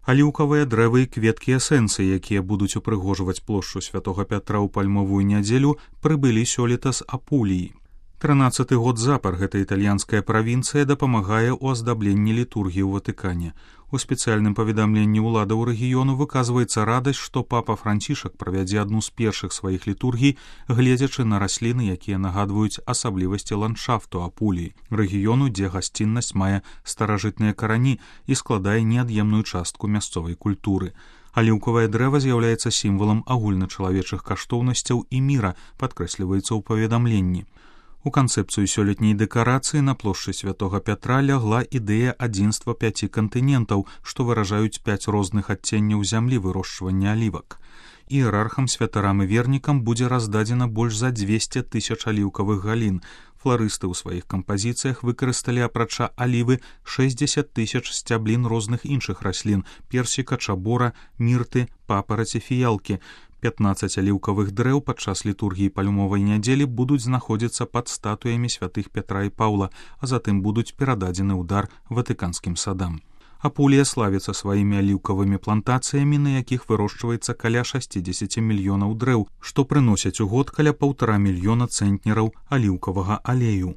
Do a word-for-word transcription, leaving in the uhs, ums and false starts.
Аліўкавыя дрэвы і кветкі эсэнцыі, якія будуць упрыгожваць плошчу святога Пятра ў пальмовую нядзелю, прыбылі сёлета з Апуліі. трынаццаты год запар гэта італьянская правінцыя дапамагае ў аздабленні літургіі ў Ватыкане. У спецыяльным паведамленні ўладаў рэгіёну выказваецца радасць, што папа Францішак правядзе адну з першых сваіх літургій, гледзячы на расліны, якія нагадваюць асаблівасці ландшафту Апуліі, рэгіёну, дзе гасціннасць мае старажытныя карані і складае неад'емную частку мясцовай культуры. Аліўкавае дрэва з'яўляецца сімвалам агульначалавечых каштоўнасцяў і міра, падкрэсліваецца ў паведамленні. У канцэпцыю сёлетняй дэкарацыі на плошчы святога Пятра лягла ідэя адзінства пяці кантынентаў, што выражаюць пяць розных адценняў зямлі вырошчвання алівак. Іерархам, святарам і вернікам будзе раздадзена больш за дзвесце тысяч аліўкавых галін. Фларысты ў сваіх кампазіцыях выкарысталі апрача алівы шэсцьдзесят тысяч сцяблін розных іншых раслін: персіка, чабора, мірты, папараці, фіялкі. пятнаццаць аліўкавых дрэў падчас літургіі пальмовай нядзелі будуць знаходзіцца пад статуямі святых Пятра і Паўла, а затым будуць перададзены ў дар ватыканскім садам. Апулія славіцца сваімі аліўкавымі плантацыямі, на якіх вырошчваецца каля шэсцьдзесят мільёнаў дрэў, што прыносяць у год каля паўтара мільёна цэнтнераў аліўкавага алею.